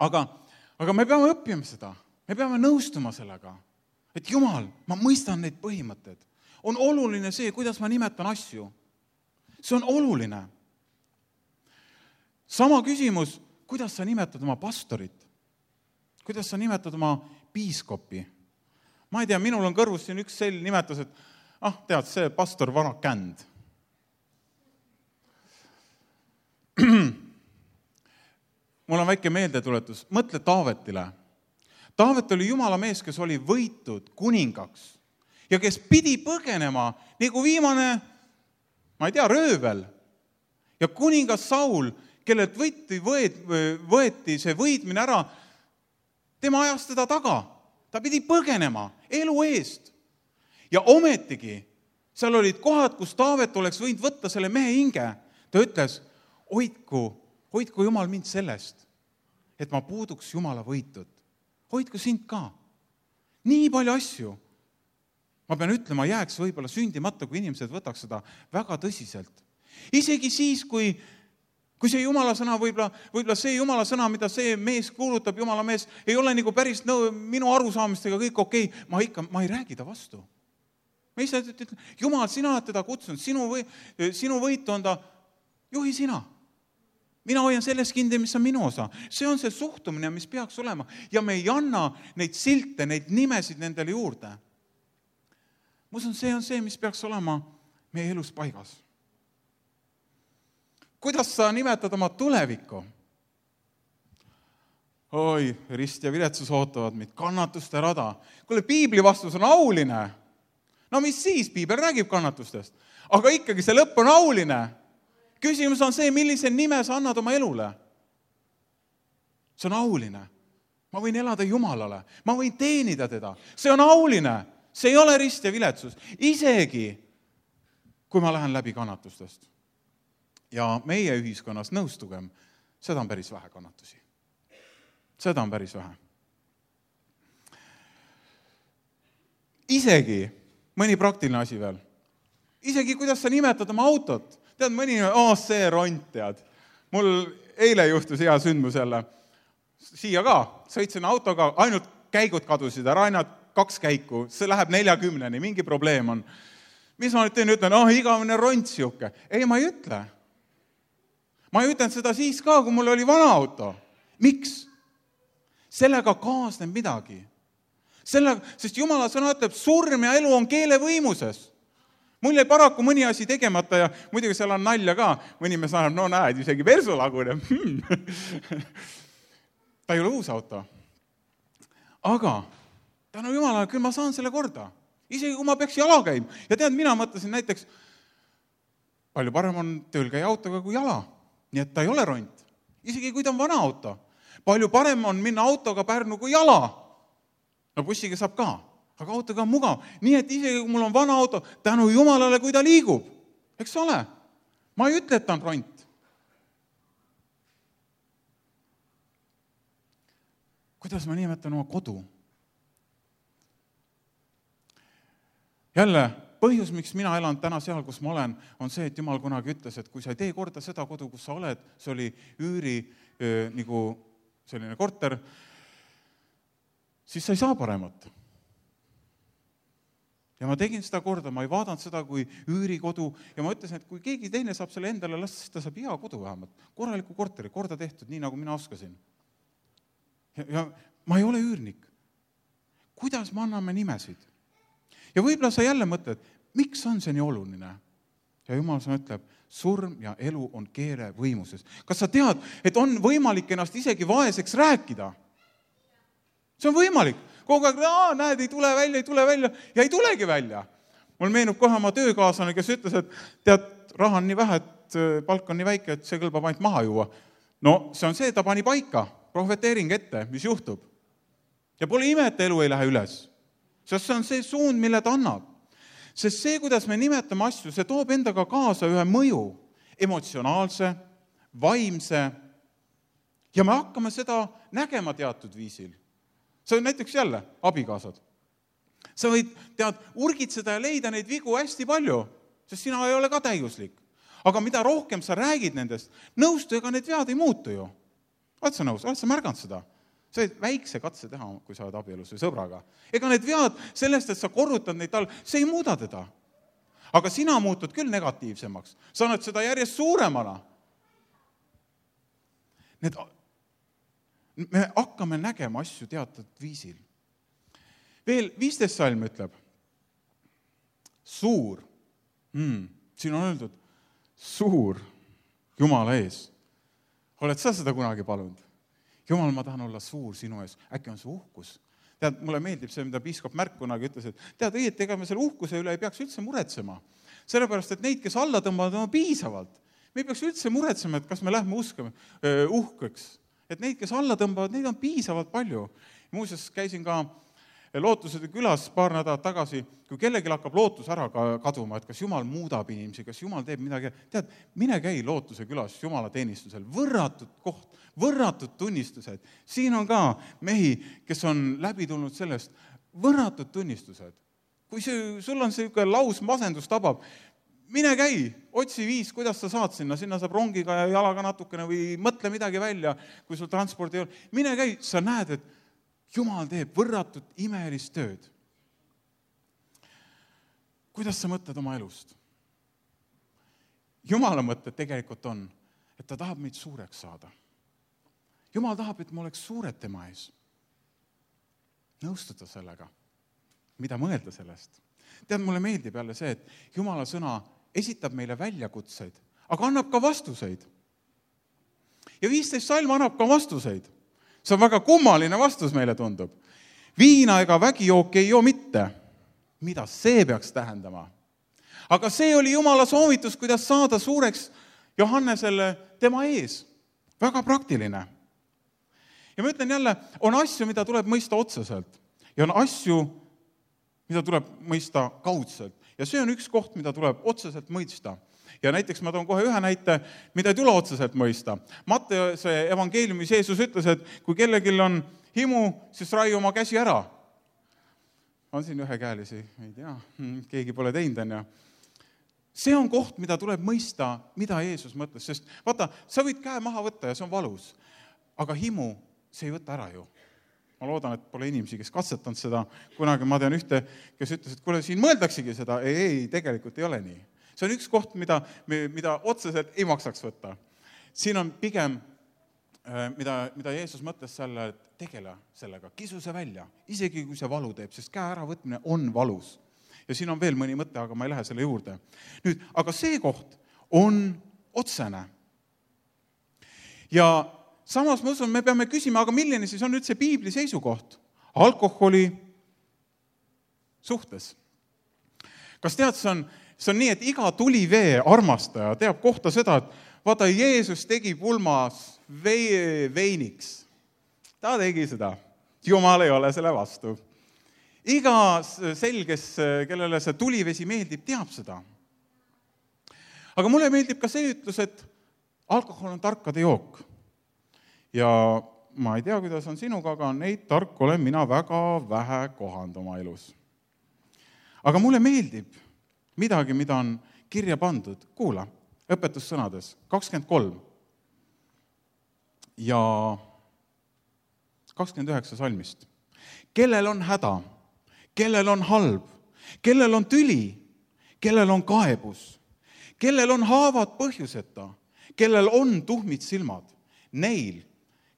Aga me peame õppima seda. Me peame nõustuma sellega, et Jumal, ma mõistan neid põhimõtteid. On oluline see, kuidas ma nimetan asju. See on oluline. Sama küsimus, kuidas sa nimetad oma pastorit? Kuidas sa nimetad oma piiskopi? Ma ei tea, minul on kõrvus siin üks selline nimetus, et tead, see pastor vana känd. Mul on väike meeldetuletus. Mõtle Taavetile. Taavet oli Jumala mees, kes oli võitud kuningaks ja kes pidi põgenema nagu viimane, ma ei tea, röövel. Ja kuningas Saul, kellelt võeti see võitmine ära, tema ajas teda taga. Ta pidi põgenema elu eest. Ja ometigi, seal olid kohad, kus Taavet oleks võinud võtta selle mehe hinge. Ta ütles, hoidku Jumal mind sellest, et ma puuduks Jumala võitud. Hoidku sind ka. Nii palju asju. Ma pean ütlema, jääks võib-olla sündimata, kui inimesed võtaks seda väga tõsiselt. Isegi siis, kui see Jumala sõna, võib-olla see Jumala sõna, mida see mees kuulutab, Jumala mees, ei ole nagu päris minu arusaamistega kõik okei, ma ei räägi ta vastu. Ma ise ütlen, Jumal, sina oled teda kutsunud, sinu võitu on ta, juhi sina. Mina hoian selles kinni, mis on minu osa. See on see suhtumine, mis peaks olema. Ja me ei anna neid silte, neid nimesid nendele juurde. Ma usun, see on see, mis peaks olema meie elus paigas. Kuidas sa nimetad oma tulevikku? Oi, rist ja viletsus ootavad meid, kannatuste rada. Kuule, piibli vastus on auline. No mis siis, piibel räägib kannatustest. Aga ikkagi see lõpp on auline. Küsimus on see, millise nime sa annad oma elule. See on auline. Ma võin elada Jumalale. Ma võin teenida teda. See on auline. See ei ole rist ja viletsus. Isegi, kui ma lähen läbi kannatustest. Ja meie ühiskonnas nõustugem, seda on päris vähe kannatusi. Seda on päris vähe. Isegi, mõni praktiline asi veel. Isegi, kuidas sa nimetad oma autot. Tead, mõni, see ront, tead. Mul eile juhtus hea sündmus jälle. Siia ka, sõitsin autoga, ainult käigud kadusid ära, ainult 2 käiku. See läheb 40-ni, mingi probleem on. Mis ma nüüd teen, ütlen, igavene ront siuke. Ei, ma ei ütle. Ma ei ütlen seda siis ka, kui mul oli vana auto. Miks? Sellega kaasneb midagi. Sest Jumala sõna ütleb, surm ja elu on keele võimuses. Mul jäi paraku mõni asi tegemata ja muidugi seal on nalja ka. Mõni me saab, näed, isegi persu laguneb. Ta ei ole uus auto. Aga tänu Jumalale, küll ma saan selle korda. Isegi kui ma peaks jala käima. Ja tead, mina mõtlesin näiteks, palju parem on tööl käia autoga kui jala. Nii et ta ei ole ront. Isegi kui ta on vana auto. Palju parem on minna autoga Pärnu kui jala. No bussiga saab ka. Aga autoga on mugav. Nii et isegi kui mul on vana auto, tänu Jumalale, kui ta liigub. Eks ole? Ma ei ütle, et ta on ront. Kuidas ma nimetan oma kodu? Jälle, põhjus, miks mina elan täna seal, kus ma olen, on see, et Jumal kunagi ütles, et kui sa ei tee korda seda kodu, kus sa oled, see oli üüri nagu selline korter, siis sa ei saa paremat. Ja ma tegin seda korda, ma ei vaadanud seda kui üürikodu ja ma ütlesin, et kui keegi teine saab selle endale lasta, siis ta saab hea kodu vähemalt. Korraliku korteri, korda tehtud, nii nagu mina oskasin. Ja ma ei ole üürnik. Kuidas me anname nimesid? Ja võib-olla sa jälle mõtled, miks on see nii oluline? Ja Jumal sõna ütleb, surm ja elu on keele võimuses. Kas sa tead, et on võimalik ennast isegi vaeseks rääkida? See on võimalik. Kogu aeg, näed, ei tule välja ja ei tulegi välja. Mul meenub kohe oma töökaaslane, kes ütles, et tead, raha on nii vähe, et palk on nii väike, et see kõlbab ainult maha juua. No see on see, ta pani paika, profeteering ette, mis juhtub. Ja pole ime, et elu ei lähe üles. Sest see on see suund, mille ta annab. Sest see, kuidas me nimetame asju, see toob endaga kaasa ühe mõju, emotsionaalse, vaimse, ja me hakkame seda nägema teatud viisil. See on näiteks jälle abikaasad. Sa võid, tead, urgitseda ja leida neid vigu hästi palju, sest sina ei ole ka täiuslik. Aga mida rohkem sa räägid nendest, nõustu, ega need vead ei muutu ju. Oled sa nõus? Oled sa märganud seda? sa võid väikse katse teha, kui sa oled abielus või sõbraga. Ega need vead sellest, et sa korrutad neid tal, see ei muuda teda. Aga sina muutud küll negatiivsemaks. Sa annad seda järjest suuremana. Me hakkame nägema asju teatud viisil. Veel 15 salm ütleb, suur, siin on öeldud, suur Jumala ees. Oled sa seda kunagi palunud? Jumal, ma tahan olla suur sinu ees. Äkki on see uhkus? Tead, mulle meeldib see, mida piiskop Märk kunagi ütles, et tead, ega me selle uhkuse üle ei peaks üldse muretsema. Sellepärast, et neid, kes alla tõmbavad, on piisavalt. Me ei peaks üldse muretsema, et kas me lähme uskama uhkeks. Et neid, kes alla tõmbavad, neid on piisavalt palju. Muuseas, käisin ka Lootuse külas paar nädalat tagasi, kui kellelgi hakkab lootus ära kaduma, et kas Jumal muudab inimesi, kas Jumal teeb midagi. Tead, mine käi Lootuse külas Jumala teenistusel. Võrratud koht, võrratud tunnistused. Siin on ka mehi, kes on läbi tulnud sellest. Võrratud tunnistused. Kui sul on selline laus masendus tabab, mine käi, otsi viis, kuidas sa saad sinna saab rongiga ja jalaga natukene või mõtle midagi välja, kui sul transpordi ei ole. Mine käi, sa näed, et Jumal teeb võrratud imelist tööd. Kuidas sa mõtled oma elust? Jumala mõtted tegelikult on, et ta tahab meid suureks saada. Jumal tahab, et me oleks suured tema ees. Nõustuda sellega. Mida mõelda sellest? Tead, mulle meeldib jälle see, et Jumala sõna esitab meile väljakutseid, aga annab ka vastuseid. Ja 15 salm annab ka vastuseid. See on väga kummaline vastus meile tundub. Viina ega vägijooki ei joo mitte. Mida see peaks tähendama? Aga see oli Jumala soovitus, kuidas saada suureks Johannesele tema ees. Väga praktiline. Ja ma ütlen jälle, on asju, mida tuleb mõista otseselt. Ja on asju, mida tuleb mõista kaudselt. Ja see on üks koht, mida tuleb otseselt mõista. Ja näiteks ma toon kohe ühe näite, mida ei tule otseselt mõista. Matteuse evangeeliumis Jeesus ütles, et kui kellelgi on himu, siis rai oma käsi ära. On siin ühekäelisi, ei tea, keegi pole teinud, on ja. See on koht, mida tuleb mõista, mida Jeesus mõtles, sest vaata, sa võid käe maha võtta ja see on valus, aga himu see ei võta ära ju. Ma loodan, et pole inimesi, kes katsetanud seda. Kunagi ma tean ühte, kes ütles, et kuule, siin mõeldaksegi seda. Ei, tegelikult ei ole nii. See on üks koht, mida otseselt ei maksaks võtta. Siin on pigem, mida Jeesus mõtles selle, et tegele sellega, kisu see välja, isegi kui see valu teeb, sest käe äravõtmine on valus. Ja siin on veel mõni mõte, aga ma ei lähe selle juurde. Nüüd, aga see koht on otsene. Ja samas ma usun, me peame küsima, aga milline siis on üldse piibli seisukoht alkoholi suhtes? Kas tead, see on nii, et iga tulivee armastaja teab kohta seda, et vaata, Jeesus tegi pulmas veiniks. Ta tegi seda. Jumal ei ole selle vastu. Iga selges, kellele see tulivesi meeldib, teab seda. Aga mulle meeldib ka see ütlus, et alkohol on tarkade jook. Ja ma ei tea, kuidas on sinuga, aga neid tark olen mina väga vähe kohanud oma elus. Aga mulle meeldib midagi, mida on kirja pandud. Kuula, õpetussõnades 23 ja 29 salmist. Kellel on häda, kellel on halb, kellel on tüli, kellel on kaebus, kellel on haavad põhjuseta, kellel on tuhmid silmad, neil,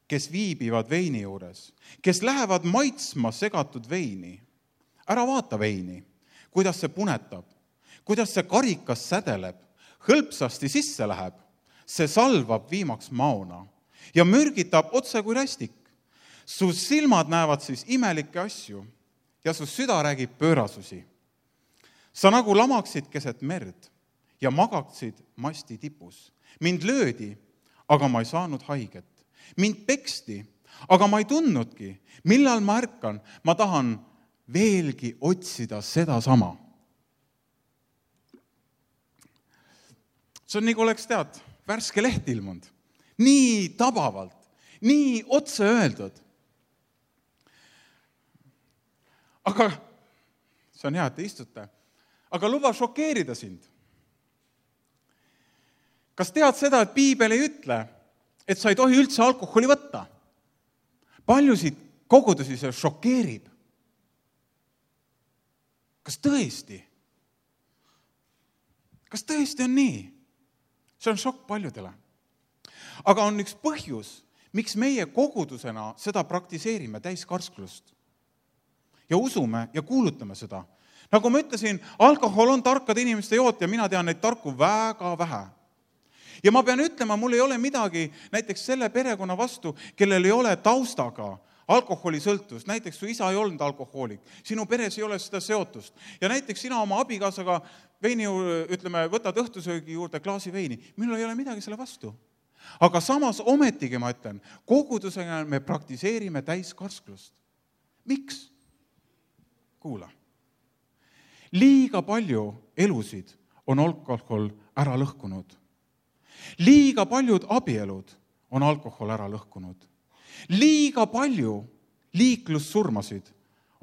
kes viibivad veini juures, kes lähevad maitsma segatud veini. Ära vaata veini, kuidas see punetab, kuidas see karikas sädeleb, hõlpsasti sisse läheb, see salvab viimaks maona ja mürgitab otse kui rästik. Su silmad näevad siis imelikke asju ja su süda räägib pöörasusi. Sa nagu lamaksid keset merd ja magaksid masti tipus. Mind löödi, aga ma ei saanud haiget. Mind peksti, aga ma ei tundnudki. Millal ma ärkan, ma tahan veelgi otsida seda sama. See on nagu oleks, tead, värske leht ilmunud. Nii tabavalt, nii otse öeldud. Aga see on hea, et te istute. Aga luba šokeerida sind. Kas tead seda, et piibel ei ütle, et sa ei tohi üldse alkoholi võtta? Paljusid kogudusi see šokeerib. Kas tõesti? Kas tõesti on nii? See on šokk paljudele. Aga on üks põhjus, miks meie kogudusena seda praktiseerime täiskarsklust. Ja usume ja kuulutame seda. Nagu ma ütlesin, alkohol on tarkade inimeste joot ja mina tean neid tarku väga vähe. Ja ma pean ütlema, mul ei ole midagi näiteks selle perekonna vastu, kellel ei ole taustaga alkoholisõltuvust. Näiteks su isa ei olnud alkohoolik, sinu peres ei ole seda seotust. Ja näiteks sina oma abikaasaga veini, võtad õhtusöögi juurde klaasi veini. Minul ei ole midagi selle vastu. Aga samas ometigi ma ütlen, kogudusega me praktiseerime täiskarsklust. Miks? Kuula. Liiga palju elusid on alkohol ära lõhkunud. Liiga paljud abielud on alkohol ära lõhkunud. Liiga palju liiklussurmasid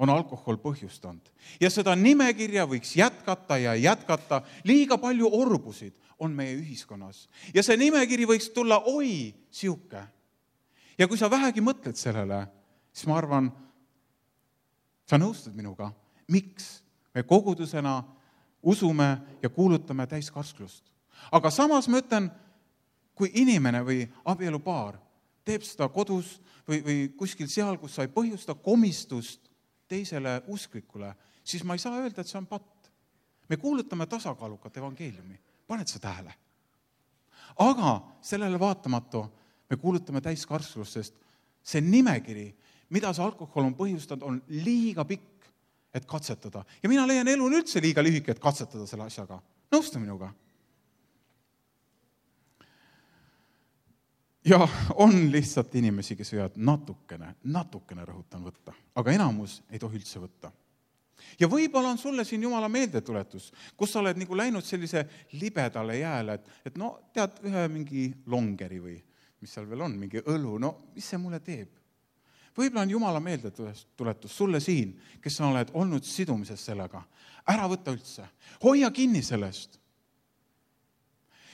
on alkohol põhjustanud. Ja seda nimekirja võiks jätkata ja jätkata. Liiga palju orbusid on meie ühiskonnas. Ja see nimekiri võiks tulla siuke. Ja kui sa vähegi mõtled sellele, siis ma arvan, sa nõustud minuga, miks me kogudusena usume ja kuulutame täiskarsklust. Aga samas ma ütlen, kui inimene või abielupaar teeb seda kodus või kuskil seal, kus sa ei põhjusta komistust teisele usklikule, siis ma ei saa öelda, et see on patt. Me kuulutame tasakaalukat evangeeliumi. Paned sa tähele? Aga sellele vaatamatu me kuulutame täiskarslust, sest see nimekiri, mida see alkohol on põhjustanud, on liiga pikk, et katsetada. Ja mina leian, elu on üldse liiga lühike, et katsetada selle asjaga. Nõustu minuga. Ja on lihtsalt inimesi, kes võivad natukene rõhutan võtta, aga enamus ei tohi üldse võtta. Ja võib-olla on sulle siin Jumala meeldetuletus, kus sa oled nagu läinud sellise libedale jääle, et no tead ühe mingi longeri või mis seal veel on, mingi õlu, no mis see mulle teeb? Võib-olla on Jumala meeldetuletus sulle siin, kes sa oled olnud sidumises sellega. Ära võtta üldse. Hoia kinni sellest.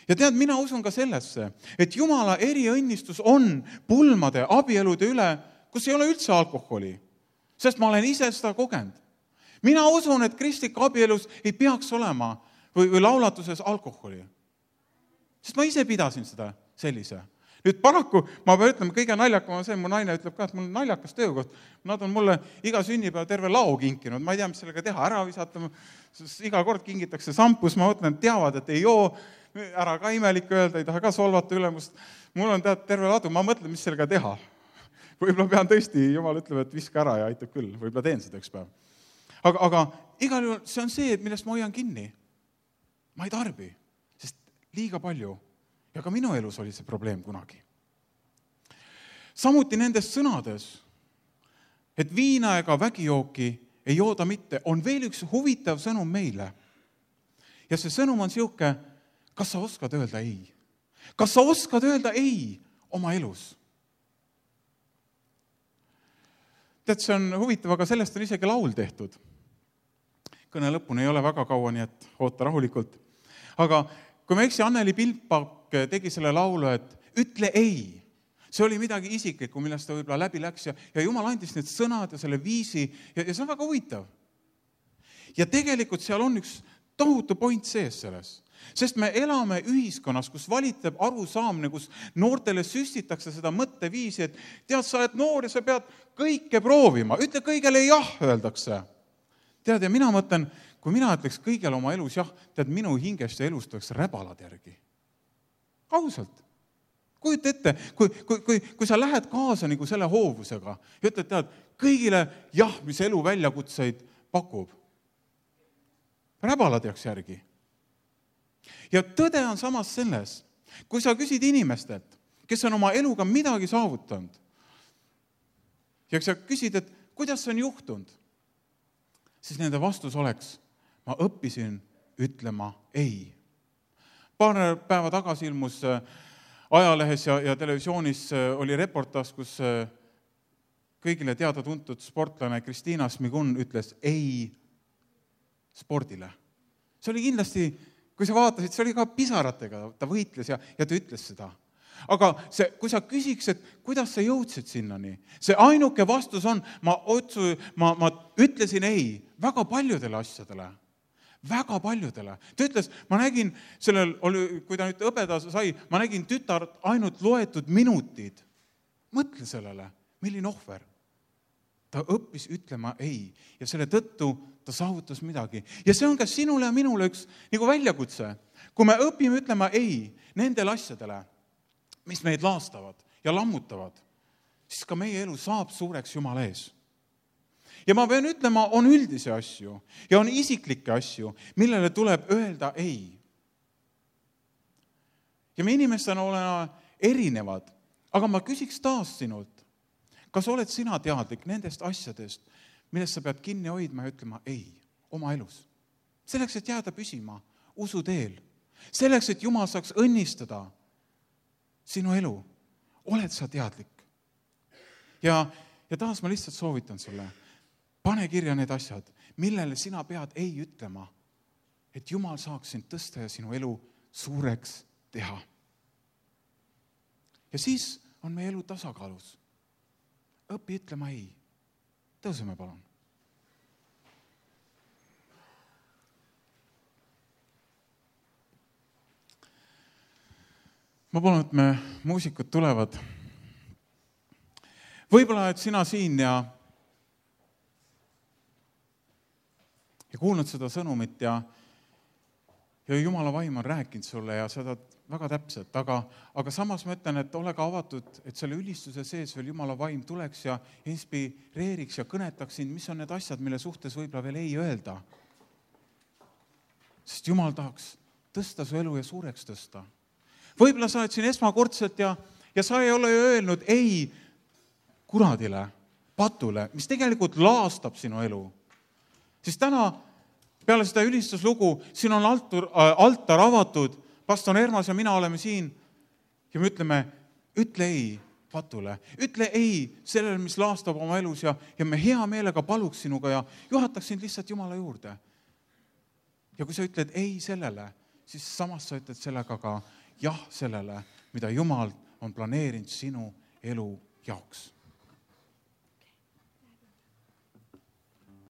Ja tead, mina usun ka sellesse, et Jumala eriõnnistus on pulmade, abielude üle, kus ei ole üldse alkoholi. Sest ma olen ise seda kogenud. Mina usun, et kristlik abielus ei peaks olema või laulatuses alkoholi. Sest ma ise pidasin seda sellise. Nüüd paraku, ma pean ütlema, kõige naljakam on see, mu naine ütleb ka, et mul on naljakas töökoht. Nad on mulle iga sünnipäev terve lao kinkinud. Ma ei tea, mis sellega teha, ära visata. Iga kord kingitakse sampus, ma mõtlen, et teavad, et ei joo, ära ka imelik öelda, ei taha ka solvata ülemust. Mul on terve ladu, ma mõtlen, mis sellega teha. Võib-olla pean tõesti, Jumal ütleb, et viska ära ja aitab küll. Võib-olla teen seda üks päev. Aga igal juhul see on see, et millest ma hoian kinni. Ma ei tarbi, sest liiga palju. Ja ka minu elus oli see probleem kunagi. Samuti nendes sõnades, et viina ega vägijooki ei jooda mitte, on veel üks huvitav sõnum meile. Ja see sõnum on siuke, kas sa oskad öelda ei? Kas sa oskad öelda ei oma elus? Tead, see on huvitav, aga sellest on isegi laul tehtud. Kõne lõpuni ei ole väga kaua, nii et oota rahulikult. Aga kui me eksi, Anneli Pilpak tegi selle laulu, et ütle ei. See oli midagi isiklikku, millest ta võib-olla läbi läks ja Jumal andis need sõnad ja selle viisi ja see on väga huvitav. Ja tegelikult seal on üks tohutu point sees selles. Sest me elame ühiskonnas, kus valitab arusaamine, kus noortele süstitakse seda mõtteviisi, et tead, sa oled noor ja sa pead kõike proovima. Ütle kõigele jah, öeldakse. Tead, ja mina mõtlen, kui mina ütleks kõigele oma elus jah, tead, minu hingest ja elust oleks räbalad järgi. Ausalt. Kujuta ette, kui sa lähed kaasa nagu selle hoovusega ja ütled, tead, kõigile jah, mis elu väljakutseid pakub. Räbalad jääks järgi. Ja tõde on samas selles, kui sa küsid inimestelt, kes on oma eluga midagi saavutanud, ja sa küsid, et kuidas see on juhtunud, siis nende vastus oleks, ma õppisin ütlema ei. Paar päeva tagasi ilmus ajalehes ja televisioonis oli reportaas, kus kõigile teada-tuntud sportlane Kristiina Smigun ütles ei spordile. See oli kindlasti, kui sa vaatasid, see oli ka pisaratega, ta võitles ja ta ütles seda. aga kui sa küsiks, et kuidas sa jõudsid sinnani, see ainuke vastus on, ma ütlesin ei väga paljudele asjadele. Väga paljudele. Ta ütles, ma nägin, kui ta nüüd õbeda sai, ma nägin tütart ainult loetud minutid. Mõtle sellele, milline ohver. Ta õppis ütlema ei ja selle tõttu ta saavutas midagi. Ja see on ka sinule ja minule üks nagu väljakutse. Kui me õpime ütlema ei nendele asjadele, mis meid laastavad ja lammutavad, siis ka meie elu saab suureks Jumala ees. Ja ma pean ütlema, on üldisi asju ja on isiklikke asju, millele tuleb öelda ei. Ja me inimestena oleme erinevad, aga ma küsiks taas sinult, kas oled sina teadlik nendest asjadest, millest sa pead kinni hoidma ja ütlema ei oma elus? Selleks, et jääda püsima usu teel. Selleks, et Jumal saaks õnnistada sinu elu. Oled sa teadlik? Ja taas ma lihtsalt soovitan sulle, pane kirja need asjad, millele sina pead ei ütlema, et Jumal saaks sind tõsta ja sinu elu suureks teha. Ja siis on meie elu tasakaalus. Õpi ütlema ei. Tõuseme palun. Ma palun, et me muusikud tulevad. Võib-olla, et sina siin ja kuulnud seda sõnumit ja Jumala vaim on rääkinud sulle ja seda väga täpselt, aga samas ma ütlen, et ole ka avatud, et selle ülistuse sees veel Jumala vaim tuleks ja inspireeriks ja kõnetaks sind, mis on need asjad, mille suhtes võib-olla veel ei öelda. Sest Jumal tahaks tõsta su elu ja suureks tõsta. Võib-olla sa oled siin esmakordselt ja sa ei ole öelnud ei kuradile, patule, mis tegelikult laastab sinu elu. Siis täna peale seda ülistuslugu, siin on altar avatud, pastor Ermas ja mina oleme siin ja me ütleme, ütle ei patule, ütle ei sellele, mis laastab oma elus ja me hea meelega paluks sinuga ja juhataks sind lihtsalt Jumala juurde. Ja kui sa ütled ei sellele, siis samas sa ütled sellega ka jah sellele, mida Jumal on planeerinud sinu elu jaoks.